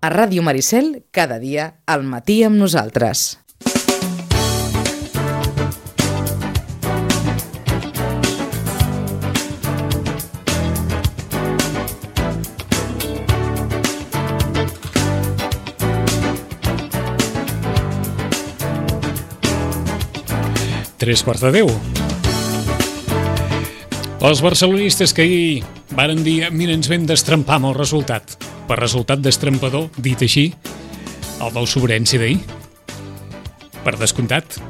A Ràdio Maricel, cada dia, al matí amb nosaltres. Tres quarts de 10. Els barcelonistes que ahir varen dir mira, ens vam destrempar amb el resultat. Per resultat destrampador, dit així, el del Sobrense d'ahir. Per descomptat,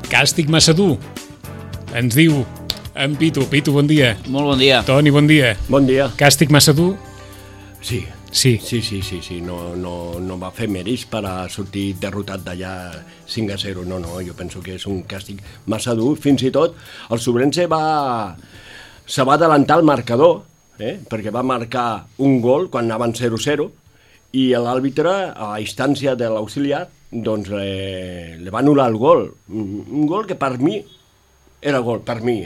càstig massa dur. Ens diu en Pitu. Pitu, bon dia. Molt bon dia. Toni, bon dia. Bon dia. Càstig massa dur? Sí. Sí. Sí. No va fer mèrits per a sortir derrotat d'allà 5-0. No, jo penso que és un càstig massa dur. Fins i tot el Sobrense se va adelantar el marcador, perquè va marcar un gol quan anaven 0-0 i l'àrbitre, a instància de l'auxiliar, doncs li va anul·lar el gol. Un gol que per mi era gol, per mi,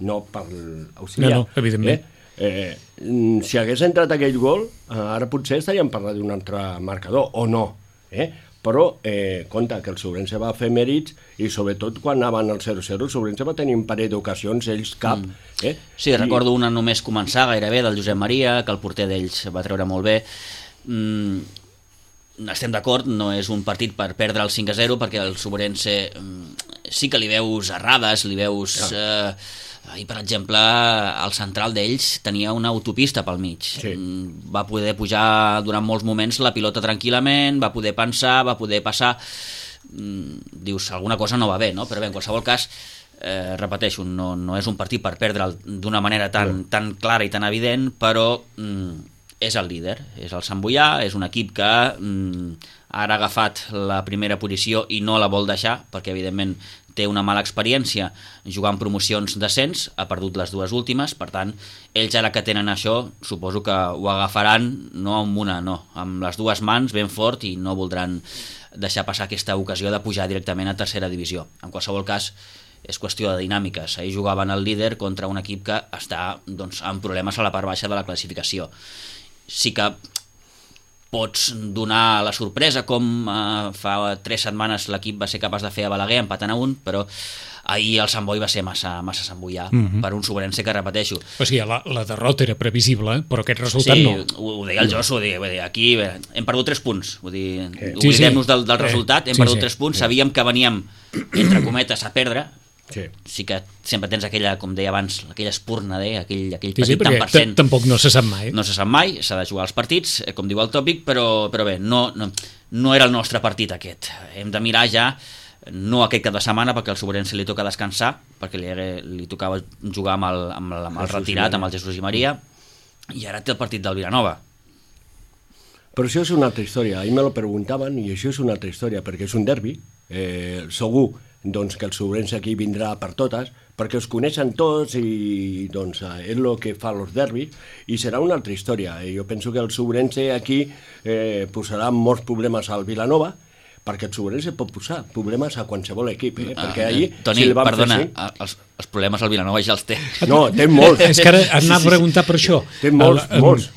no per l'auxiliar. No, evidentment. Si hagués entrat aquell gol, ara potser estaríem parlant d'un altre marcador, o no, però compte que el Sobrense va fer mèrits i sobretot quan anaven al 0-0 el Sobrense va tenir un parell d'ocasions, ells cap. Sí, recordo una només començar gairebé del Josep Maria, que el porter d'ells va treure molt bé. Estem d'acord, no és un partit per perdre el 5-0 perquè el Sobrense sí que li veus errades, li veus... Ahir, per exemple, el central d'ells tenia una autopista pel mig. Sí. Va poder pujar durant molts moments la pilota tranquil·lament, va poder pensar, va poder passar. Dius, alguna cosa no va bé, no? Però bé, en qualsevol cas, repeteixo, no és un partit per perdre'l d'una manera tan clara i tan evident, però és el líder, és el Sant Boià, és un equip que ara ha agafat la primera posició i no la vol deixar, perquè evidentment té una mala experiència jugant promocions d'ascens, ha perdut les dues últimes, per tant, ells ara que tenen això, suposo que ho agafaran no amb una, no, amb les dues mans ben fort i no voldran deixar passar aquesta ocasió de pujar directament a tercera divisió. En qualsevol cas, és qüestió de dinàmiques. Ahir jugaven el líder contra un equip que està amb problemes a la part baixa de la classificació. Sí que pots donar la sorpresa com fa 3 setmanes l'equip va ser capaç de fer a Balaguer empatant a 1, però ahir el Sant Boi va ser massa Sant Boià per un Sobrense que, repeteixo... O sigui, la derrota era previsible, però aquest resultat no. Sí, ho deia el Josu, aquí hem perdut 3 punts, vull dir, oblidem-nos del resultat, hem perdut 3 punts, sabíem que veníem, entre cometes, a perdre. Sí que sempre tens aquella, com deia abans, aquella espurna, aquell petit tant per cent. Tampoc no se sap mai. No se sap mai, s'ha de jugar als partits, com diu el tòpic, però bé, no era el nostre partit aquest. Hem de mirar ja, no aquest cap de setmana, perquè al Sobrense li toca descansar, perquè li tocava jugar amb el retirat, amb el Jesús i Maria, i ara té el partit del Vilanova. Però això és una altra història. Ahir me lo preguntaven i això és una altra història, perquè és un derbi, segur doncs que el Sobrense aquí vindrà per totes, perquè els coneixen tots i doncs és el que fa els derbis i serà una altra història. Jo penso que el Sobrense aquí posarà molts problemes al Vilanova, perquè el Sobrense pot posar problemes a qualsevol equip, perquè allí... Toni, si perdona, els problemes al Vilanova ja els té. No, té molts. És que ara anava a preguntar per això. Té molts.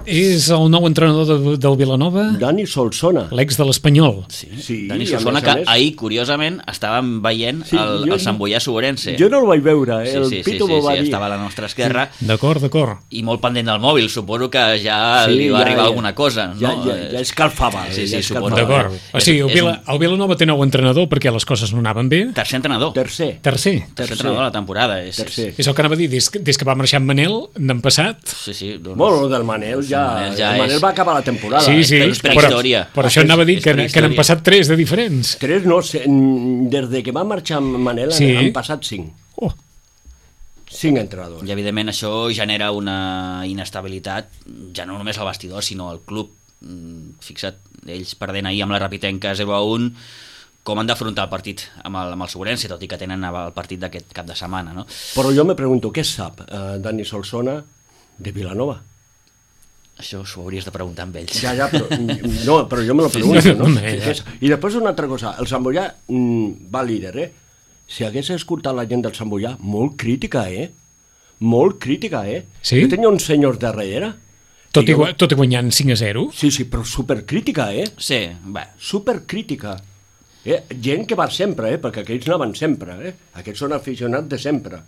És el nou entrenador del Vilanova? Dani Solsona. L'ex de l'Espanyol. Sí, Dani Solsona, que ahir, curiosament, estàvem veient el Sant Boià Sobrense. Jo no el vaig veure, el Pitu m'ho va dir. Estava a la nostra esquerra. D'acord. I molt pendent del mòbil, suposo que ja li va arribar alguna cosa. Ja escalfava. Sí, suposo. D'acord. O sigui, el Vilanova té nou entrenador perquè les coses no anaven bé. Tercer entrenador. Tercer Entrenador de la temporada. És el que anava a dir, des que va marxar en Manel, n'han passat... Sí. Bueno, del Manel Manel va acabar la temporada. Sí, però això anava a dir que n'han passat 3 de diferents. 3 no, des de que va marxar Manel han passat 5. 5 entrenadors. I evidentment això genera una inestabilitat, ja no només al vestidor, sinó al club. Fixa't, ells perdent ahir amb la Rapitenca 0-1, com han d'afrontar el partit amb el Sobrense, tot i que tenen el partit d'aquest cap de setmana, no? Però jo me pregunto, què sap Dani Solsona de Vilanova? Això s'ho hauries de preguntar amb ells. Ja, però jo me lo pregunto, no? I després una altra cosa, el Sant Boià va líder, Si hagués escoltat la gent del Sant Boià, molt crítica, Molt crítica, Sí? Jo tenia uns senyors darrere Tot i guanyant 5-0? Sí, però supercrítica, Sí, bé. Supercrítica. Gent que va sempre, perquè aquells no van sempre, Aquests són aficionats de sempre.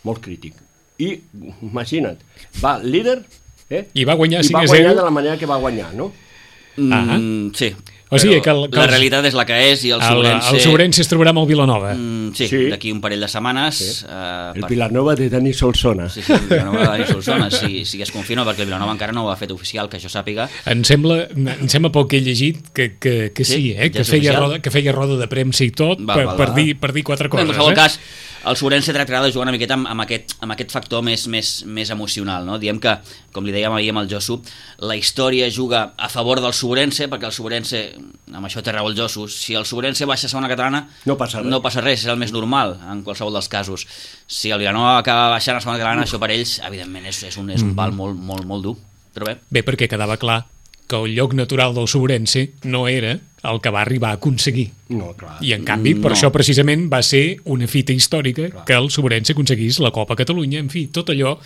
Molt crític. I, imagina't, va líder, I va guanyar 5-0. I va guanyar de la manera que va guanyar, no? Sí. O sigui que la realitat és la que és i el Sobrense... El Sobrense es trobarà amb el Vilanova. Sí, d'aquí un parell de setmanes. Sí. El Vilanova de Dani Solsona. Sí, el Vilanova de Dani Solsona, si es confirma, perquè el Vilanova encara no ho ha fet oficial, que jo sàpiga. Em sembla poc que he llegit que sí, que feia roda de premsa i tot per dir quatre coses. En qualsevol cas, el Sobrense tractarà de jugar una miqueta amb aquest factor més emocional, no? Diem que, com li dèiem ahir amb el Josu, la història juga a favor del Sobrense, perquè el Sobrense, amb això té raó el Josu, si el Sobrense baixa a segona catalana no passa res, és el més normal en qualsevol dels casos. Si el Vilanova acaba baixant a segona catalana, això per ells evidentment és un pal molt dur, però bé, perquè quedava clar que el lloc natural del Sobrense no era el que va arribar a aconseguir. No, clar. I en canvi, per això precisament va ser una fita històrica que el Sobrense aconseguís la Copa Catalunya, en fi, tot allò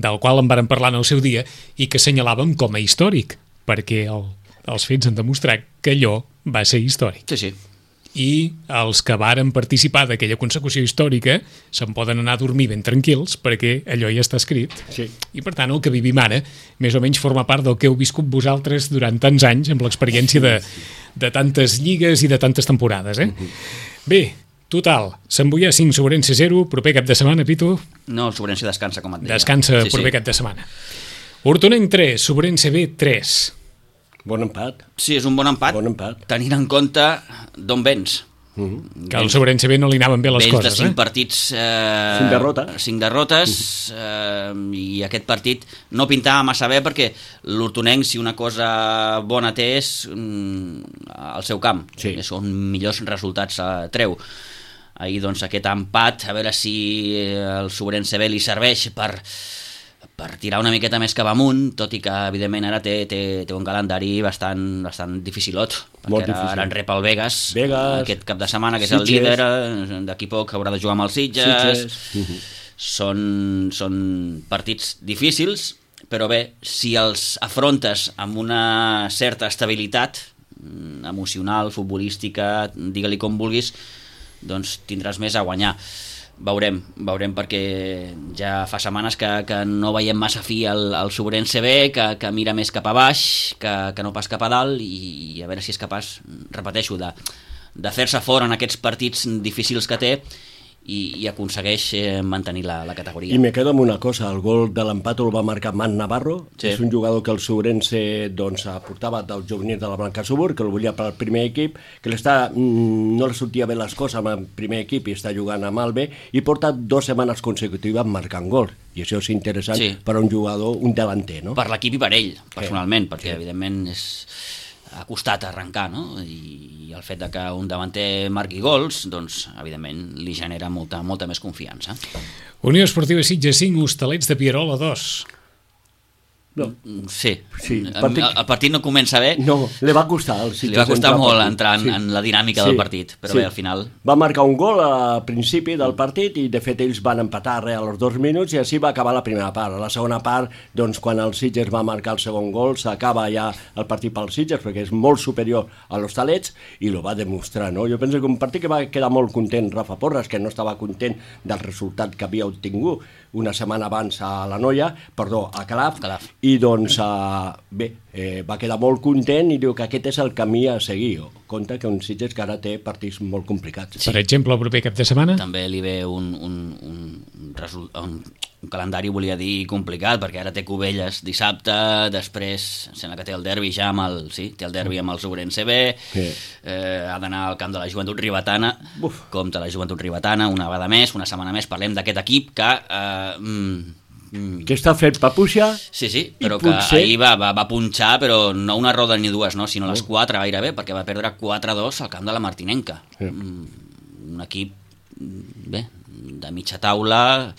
del qual en varen parlar en el seu dia i que assenyalàvem com a històric, perquè els fets han demostrat que allò va ser històric. Sí. I els que varen participar d'aquella consecució històrica se'n poden anar a dormir ben tranquils perquè allò ja està escrit. Sí. I per tant el que vivim ara més o menys forma part del que heu viscut vosaltres durant tants anys amb l'experiència de tantes lligues i de tantes temporades. Bé, total, Sant Boià 5, Sobrense 0, proper cap de setmana, Pitu? No, el Sobrense descansa, com et deia. Descansa proper cap de setmana. Hortonenc 3, Sobrense B 3. Bon empat. Sí, és un bon empat. Tenint en compte d'on vens. Que al Sobrense B no li anaven bé les coses. Vens de 5 partits... 5 derrotes. I aquest partit no pintava massa bé perquè l'Hortonenc, si una cosa bona té, és el seu camp. Sí. Són millors resultats treu. Ahir, doncs, aquest empat, a veure si el Sobrense B li serveix per tirar una miqueta més cap amunt, tot i que evidentment ara té un calendari bastant dificilot, perquè ara en rep el Vegas aquest cap de setmana, que és el líder, d'aquí poc haurà de jugar amb els Sitges. Són partits difícils, però bé, si els afrontes amb una certa estabilitat emocional, futbolística, digue-li com vulguis, doncs tindràs més a guanyar. Veurem, perquè ja fa setmanes que no veiem massa fi al Sobrense B, que mira més cap a baix que no pas cap a dalt, i a veure si és capaç, repeteixo, de fer-se fora en aquests partits difícils que té i aconsegueix mantenir la categoria. I me quedo amb una cosa, el gol de l'empat el va marcar Man Navarro, és un jugador que el Sobrense aportava del juvenil de la Blancasur, que el volia per al primer equip, que no li sortia bé les coses amb el primer equip i està jugant amb el B, i porta 2 setmanes consecutives marcant gol, i això és interessant per a un jugador, un delanter, no? Per l'equip i per ell, personalment, perquè evidentment ha costat arrencar, no? I el fet que un davanter marqui gols, doncs, evidentment, li genera molta més confiança. Unió Esportiva Sitges 5, Hostalets de Pierola 2. No. Sí. El partit no comença bé. No, li va costar. Li va costar molt entrar en la dinàmica del partit, però bé, al final... Va marcar un gol al principi del partit i, de fet, ells van empatar als 2 minuts i així va acabar la primera part. A la segona part, doncs, quan el Sitges va marcar el segon gol, s'acaba ja el partit pel Sitges, perquè és molt superior a l'Hostalets, i ho va demostrar, no? Jo penso que un partit que va quedar molt content Rafa Porras, que no estava content del resultat que havia obtingut una setmana abans a Calaf. I doncs, va quedar molt content i diu que aquest és el camí a seguir. Compte que un Sitges que ara té partits molt complicats. Per exemple, el proper cap de setmana? També li ve un calendari, volia dir, complicat, perquè ara té Cubelles dissabte, després sembla que té el derbi ja amb el Sobrense B, ha d'anar al camp de la Joventut Ribetana, compta la Joventut Ribetana, una vegada més, una setmana més, parlem d'aquest equip que està fet papuixa. Sí, però que ahir va punxar, però no una roda ni dues, sinó les 4 gairebé, perquè va perdre 4-2 al camp de la Martinenca. Un equip de mitja taula,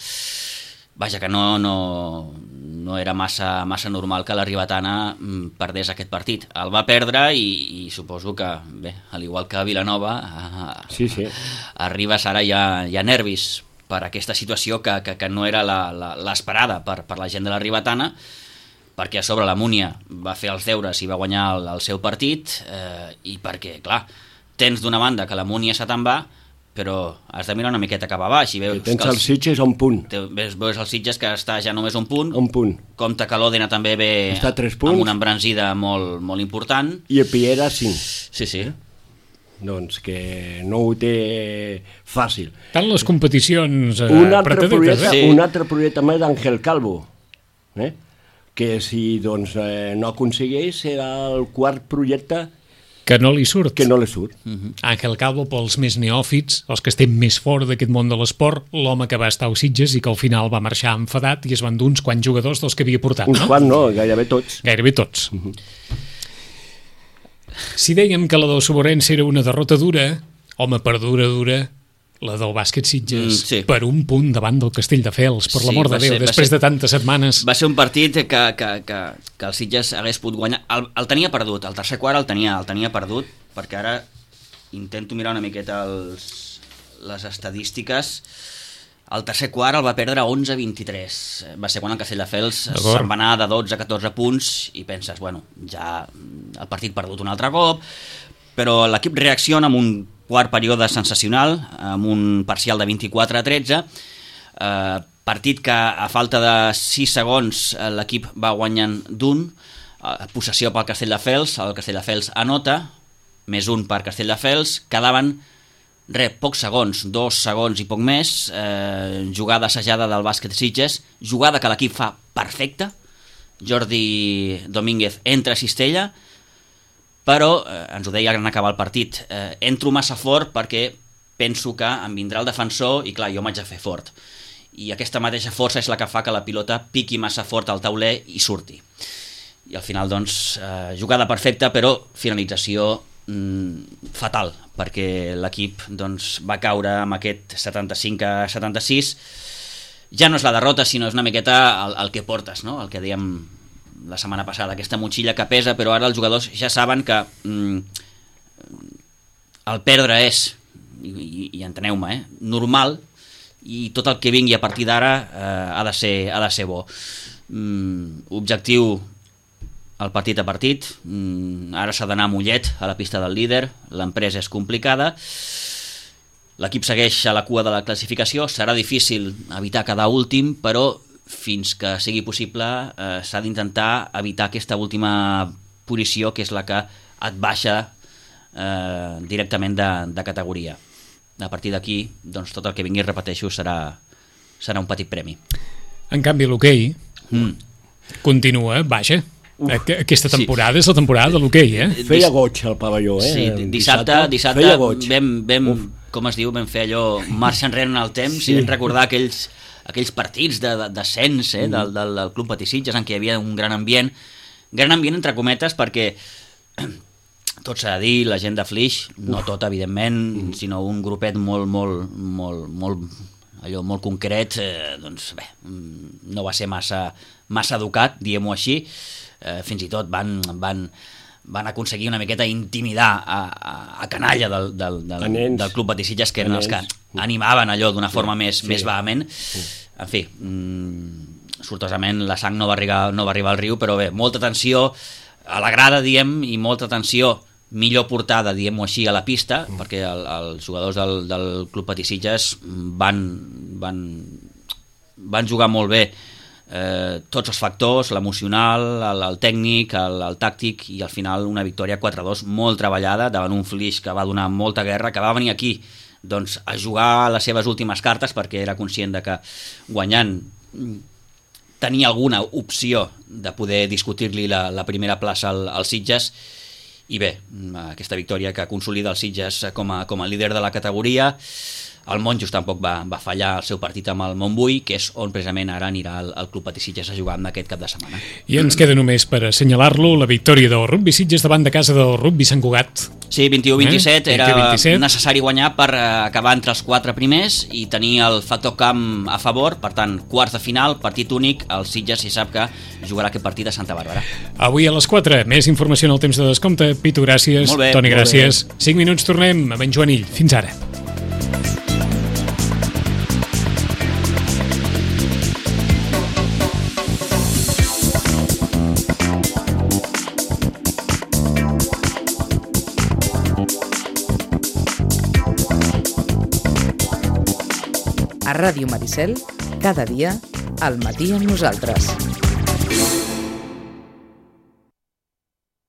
vaja, que no era massa normal que la Ribetana perdés aquest partit. El va perdre i suposo que, al igual que a Vilanova, a Ribes ara hi ha nervis per aquesta situació que no era l'esperada per la gent de la Ribetana, perquè a sobre la Múnia va fer els deures i va guanyar el seu partit, i perquè, clar, tens d'una banda que la Múnia se te'n va, però has de mirar una miqueta cap a baix i veus tens el Sitges a un punt. Veus el Sitges que està ja només un punt. Un punt. Compte que l'Òdena també ve està a 3 punts. Amb una embranzida molt, molt important. I el Piera 5. Sí. Doncs que no ho té fàcil. Tant les competicions un altre projecte més d'Àngel Calvo, que si doncs, no aconsegueix serà el quart projecte que no li surt. Uh-huh. Àngel Calvo, pels més neòfits, els que estem més fora d'aquest món de l'esport, l'home que va estar als Sitges i que al final va marxar enfadat i es van dur uns quants jugadors dels que havia portat, uns quants no, gairebé tots. Gairebé tots. Uh-huh. Si dèiem que la del Soborense era una derrota dura, home, per dura, la del bàsquet Sitges, sí. Per un punt davant del Castelldefels, per l'amor de Déu, després de tantes setmanes. Va ser un partit que el Sitges hagués pogut guanyar. El tenia perdut, el tercer quart el tenia perdut, perquè ara intento mirar una miqueta les estadístiques. El tercer quart el va perdre 11-23. Va ser quan el Castelldefels se'n va anar de 12 a 14 punts i penses, bueno, ja el partit perdut un altre cop, però l'equip reacciona amb un quart període sensacional, amb un parcial de 24-13, partit que a falta de 6 segons l'equip va guanyant d'un, possessió pel Castelldefels, el Castelldefels anota, més un per Castelldefels, quedaven pocs segons, 2 segons i poc més, jugada assajada del bàsquet Sitges, jugada que l'equip fa perfecta, Jordi Domínguez entra a cistella, però ens ho deia en acabar el partit, entro massa fort perquè penso que em vindrà el defensor i clar, jo m'haig de fer fort, i aquesta mateixa força és la que fa que la pilota piqui massa fort al tauler i surti, i al final doncs jugada perfecta però finalització fatal, perquè l'equip doncs, va caure amb aquest 75-76. Ja no és la derrota, sinó és una miqueta el que portes, no? El que dèiem la setmana passada, aquesta motxilla que pesa, però ara els jugadors ja saben que el perdre és, i enteneu-me, normal, i tot el que vingui a partir d'ara ha de ser bo. Objectiu el partit a partit, ara s'ha d'anar a Mollet, a la pista del líder, l'empresa és complicada, l'equip segueix a la cua de la classificació, serà difícil evitar quedar últim, però fins que sigui possible s'ha d'intentar evitar aquesta última posició, que és la que et baixa directament de categoria. A partir d'aquí, doncs, tot el que vingui, repeteixo, serà un petit premi. En canvi, l'hoquei continua, baixa. Aquesta temporada és la temporada de l'hoquei, Feia goig al pavelló, Sí, dissabte vam, com es diu, vam fer allò, marxa enrere en el temps, i vam recordar aquells partits d'ascens del Club Patí Sitges, en què hi havia un gran ambient entre cometes, perquè tot s'ha de dir, la gent de Flix, no tot evidentment, sinó un grupet molt concret, doncs bé, no va ser massa educat, diguem-ho així, fins i tot van aconseguir una miqueta intimidar a canalla del Club Patí Sitges, que eren els que animaven allò d'una forma més vehement. En fi, sortosament la sang no va arribar al riu, però bé, molta tensió a la grada, diem, i molta tensió millor portada, diguem-ho així, a la pista, perquè els jugadors del Club Patí Sitges van jugar molt bé tots els factors, l'emocional, el tècnic, el tàctic, i al final una victòria 4-2 molt treballada davant un Flix que va donar molta guerra, que va venir aquí doncs, a jugar les seves últimes cartes, perquè era conscient de que guanyant tenia alguna opció de poder discutir-li la primera plaça al Sitges, i bé, aquesta victòria que consolida el Sitges com a líder de la categoria. El Monjos tampoc va fallar el seu partit amb el Montbui, que és on precisament ara anirà el Club Patí Sitges a jugar en aquest cap de setmana. I ens queda només per assenyalar-lo la victòria del Rugby Sitges davant de casa del Rugby Sant Cugat. Sí, 21-27, era necessari guanyar per acabar entre els 4 primers i tenir el factor camp a favor, per tant, quarts de final, partit únic, el Sitges si sap que jugarà aquest partit a Santa Bàrbara. Avui a les 4, més informació en el temps de descompte. Pitu, gràcies. Molt bé, Toni, gràcies. 5 minuts, tornem amb en Joanill. Fins ara. A Ràdio Maricel, cada dia, al matí amb nosaltres.